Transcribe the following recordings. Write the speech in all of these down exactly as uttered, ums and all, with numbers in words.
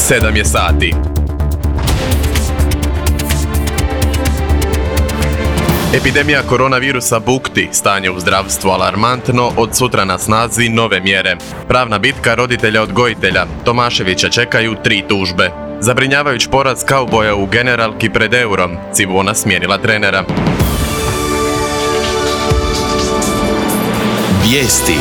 sedam je sati. Epidemija koronavirusa bukti, stanje u zdravstvu alarmantno, od sutra na snazi nove mjere. Pravna bitka roditelja odgojitelja, Tomaševića čekaju tri tužbe. Zabrinjavajuć poraz kauboja u generalki pred eurom, Cibona smijenila trenera. Vijesti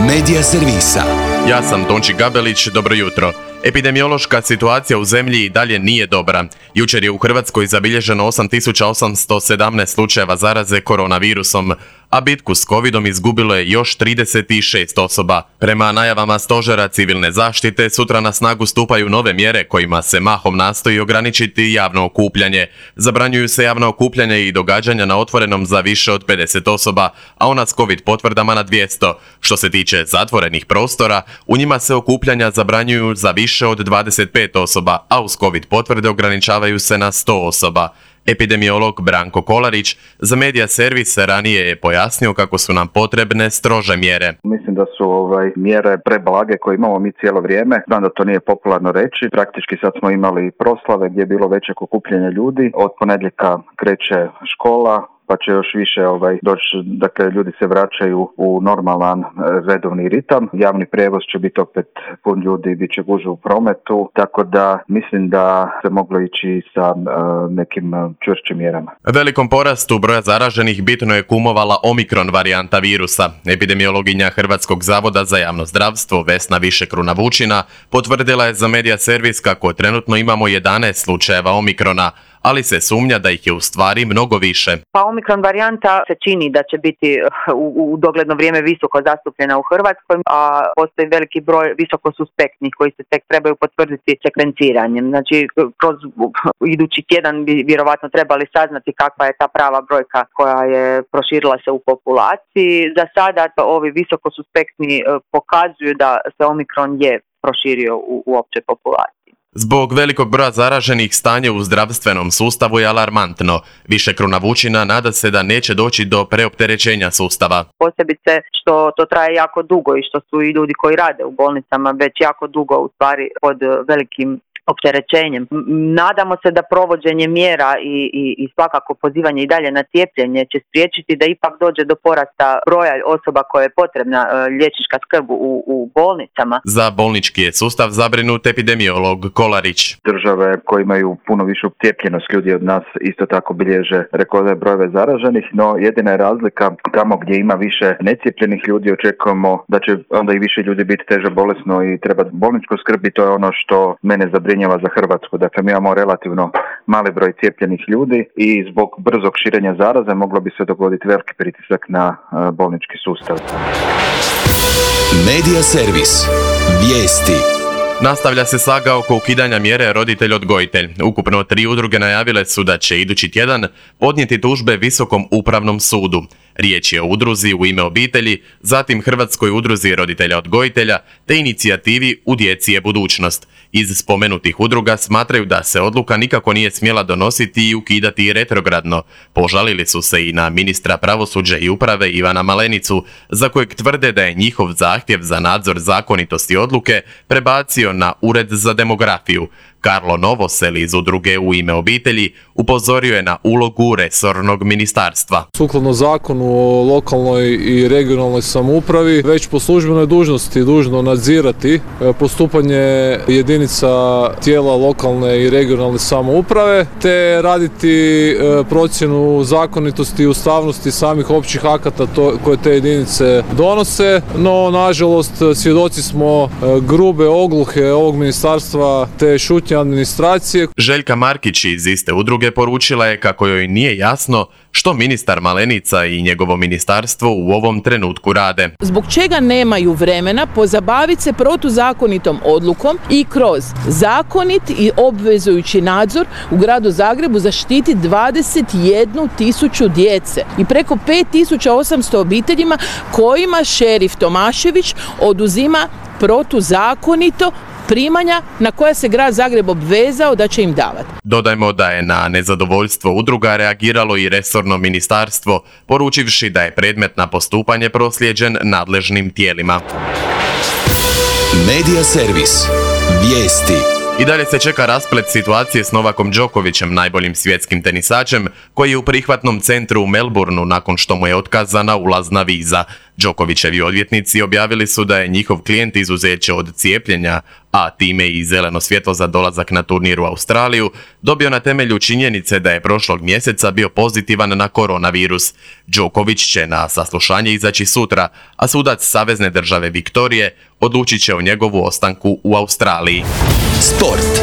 Medija servisa. Ja sam Tonči Gabelić, dobro jutro. Epidemiološka situacija u zemlji i dalje nije dobra. Jučer je u Hrvatskoj zabilježeno osam tisuća osamsto sedamnaest slučajeva zaraze koronavirusom, a bitku s covidom izgubilo je još trideset šest osoba. Prema najavama Stožera civilne zaštite, sutra na snagu stupaju nove mjere kojima se mahom nastoji ograničiti javno okupljanje. Zabranjuju se javno okupljanje i događanja na otvorenom za više od pedeset osoba, a ona s covid potvrdama na dvjesto. Što se tiče zatvorenih prostora, u njima se okupljanja zabranjuju za više od dvadeset pet osoba, a uz covid potvrde ograničavaju se na sto osoba. Epidemiolog Branko Kolarić za Medija servis ranije je pojasnio kako su nam potrebne strože mjere. Mislim da su ovaj, mjere preblage koje imamo mi cijelo vrijeme. Znam da to nije popularno reći. Praktički sad smo imali proslave gdje je bilo veće okupljanje ljudi. Od ponedjeljka kreće škola, pa će još više ovaj, doći, dakle ljudi se vraćaju u normalan redovni ritam. Javni prijevoz će biti opet pun ljudi, bit će gužve u prometu, tako da mislim da se moglo ići sa uh, nekim uh, čvršćim mjerama. Velikom porastu broja zaraženih bitno je kumovala Omikron varijanta virusa. Epidemiologinja Hrvatskog zavoda za javno zdravstvo Vesna Višekruna-Vučina potvrdila je za Medija servis kako trenutno imamo jedanaest slučajeva Omikrona, ali se sumnja da ih je u stvari mnogo više. Pa Omikron varijanta se čini da će biti u, u dogledno vrijeme visoko zastupljena u Hrvatskoj, a postoji veliki broj visoko suspektnih koji se tek trebaju potvrditi sekvenciranjem. Znači, kroz idući tjedan bi vjerovatno trebali saznati kakva je ta prava brojka koja je proširila se u populaciji. Za sada ovi visoko suspektni pokazuju da se Omikron je proširio u, u općoj populaciji. Zbog velikog broja zaraženih stanje u zdravstvenom sustavu je alarmantno. Višekruna-Vučina nada se da neće doći do preopterećenja sustava. Posebice što to traje jako dugo i što su i ljudi koji rade u bolnicama već jako dugo u stvari pod velikim opterećenjem. Nadamo se da provođenje mjera i, i, i svakako pozivanje i dalje na cijepljenje će spriječiti da ipak dođe do porasta broja osoba koje je potrebna uh, liječnička skrb u, u bolnicama. Za bolnički je sustav zabrinut epidemiolog Kolarić. Države koje imaju puno višu cijepljenost ljudi od nas isto tako bilježe rekordne brojeve zaraženih, no jedina je razlika tamo gdje ima više necijepljenih ljudi očekujemo da će onda i više ljudi biti teže bolesno i treba bolničku skrb i to je ono što mene zabrinjava za Hrvatsku. Dakle, mi imamo relativno mali broj cijepljenih ljudi i zbog brzog širenja zaraze moglo bi se dogoditi veliki pritisak na bolnički sustav. Medija servis. Vijesti. Nastavlja se saga oko ukidanja mjere roditelj-odgojitelj. Ukupno tri udruge najavile su da će idući tjedan podnijeti tužbe Visokom upravnom sudu. Riječ je o udruzi U ime obitelji, zatim Hrvatskoj udruzi roditelja-odgojitelja te inicijativi U djeci je budućnost. Iz spomenutih udruga smatraju da se odluka nikako nije smjela donositi i ukidati retrogradno. Požalili su se i na ministra pravosuđa i uprave Ivana Malenicu, za kojeg tvrde da je njihov zahtjev za nadzor zakonitosti odluke prebacio na Ured za demografiju. Karlo Novosel iz udruge U ime obitelji upozorio je na ulogu resornog ministarstva. Sukladno zakonu o lokalnoj i regionalnoj samoupravi, već po službenoj dužnosti dužno nadzirati postupanje jedinica tijela lokalne i regionalne samouprave, te raditi procjenu zakonitosti i ustavnosti samih općih akata to, koje te jedinice donose, no nažalost svjedoci smo grube ogluhe ovog ministarstva te šutnje administracije. Željka Markić iz iste udruge poručila je kako joj nije jasno što ministar Malenica i njegovo ministarstvo u ovom trenutku rade. Zbog čega nemaju vremena pozabaviti se protuzakonitom odlukom i kroz zakonit i obvezujući nadzor u gradu Zagrebu zaštiti dvadeset jednu tisuću djece i preko pet tisuća osamsto obiteljima kojima šerif Tomašević oduzima protuzakonito primanja na koja se grad Zagreb obvezao da će im davati. Dodajmo da je na nezadovoljstvo udruga reagiralo i resorno ministarstvo, poručivši da je predmet na postupanje proslijeđen nadležnim tijelima. Medija servis. Vijesti. I dalje se čeka rasplet situacije s Novakom Đokovićem, najboljim svjetskim tenisačem, koji je u prihvatnom centru u Melbourneu nakon što mu je otkazana ulazna viza. Đokovićevi odvjetnici objavili su da je njihov klijent izuzeće od cijepljenja, a time i zeleno svjetlo za dolazak na turnir u Australiju, dobio na temelju činjenice da je prošlog mjeseca bio pozitivan na koronavirus. Đoković će na saslušanje izaći sutra, a sudac Savezne države Viktorije odlučit će o njegovu ostanku u Australiji. Sport.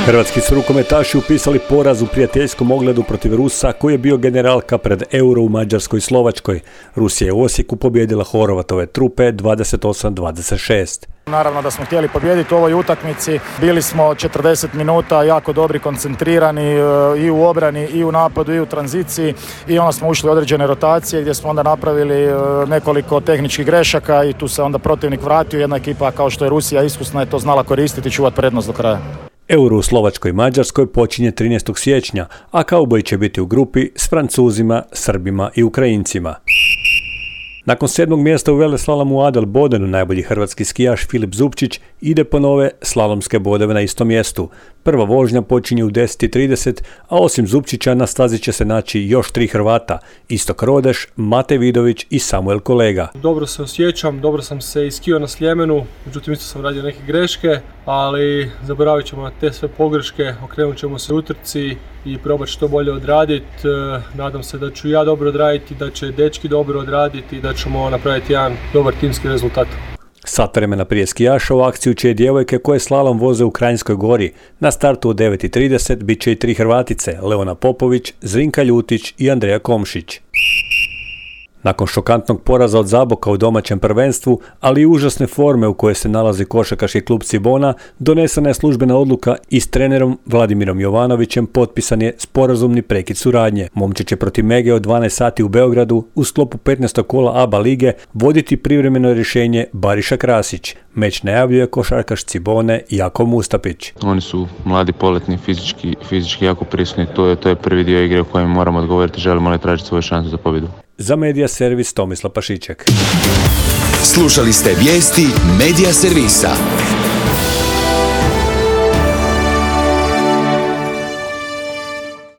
Hrvatski su rukometaši upisali poraz u prijateljskom ogledu protiv Rusa koji je bio generalka pred Euro u Mađarskoj i Slovačkoj. Rusija je u Osijeku pobijedila Horvatove trupe dvadeset osam dvadeset šest. Naravno da smo htjeli pobijediti u ovoj utakmici. Bili smo četrdeset minuta jako dobri, koncentrirani i u obrani i u napadu i u tranziciji i onda smo ušli u određene rotacije gdje smo onda napravili nekoliko tehničkih grešaka i tu se onda protivnik vratio. Jedna ekipa kao što je Rusija iskusna je to znala koristiti i čuvati prednost do kraja. Euro u Slovačkoj i Mađarskoj počinje trinaestog siječnja, a kauboji će biti u grupi s Francuzima, Srbima i Ukrajincima. Nakon sedmog mjesta u veleslalomu u Adelbodenu najbolji hrvatski skijaš Filip Zupčić ide po nove slalomske bodove na istom mjestu. Prva vožnja počinje u deset i trideset, a osim Zupčića na stazi će se naći još tri Hrvata, Istok Rodeš, Mate Vidović i Samuel Kolega. Dobro se osjećam, dobro sam se iskio na Sljemenu, međutim isto sam radio neke greške, ali zaboravit ćemo na te sve pogreške, okrenut ćemo se utrci i probati što bolje odraditi. Nadam se da ću ja dobro odraditi, da će dečki dobro odraditi i da ćemo napraviti jedan dobar timski rezultat. Sat vremena prije skijaša u akciju će i djevojke koje slalom voze u Kranjskoj Gori. Na startu u devet i trideset bit će i tri Hrvatice, Leona Popović, Zrinka Ljutić i Andreja Komšić. Nakon šokantnog poraza od Zaboka u domaćem prvenstvu, ali i užasne forme u kojoj se nalazi košarkaški klub Cibona, donesena je službena odluka i s trenerom Vladimirom Jovanovićem potpisan je sporazumni prekid suradnje. Momče će protiv Mege od dvanaest sati u Beogradu u sklopu petnaestog kola A B A lige voditi privremeno rješenje Bariša Krasić. Meč najavljuje košarkaš Cibone Jako Mustapić. Oni su mladi, poletni, fizički, fizički jako prisutni, to je, to je prvi dio igre u kojem moramo odgovoriti, želimo li tražiti svoju šansu za pobjedu. Za Medija servis Tomislav Pašiček. Slušali ste vijesti Medija servisa.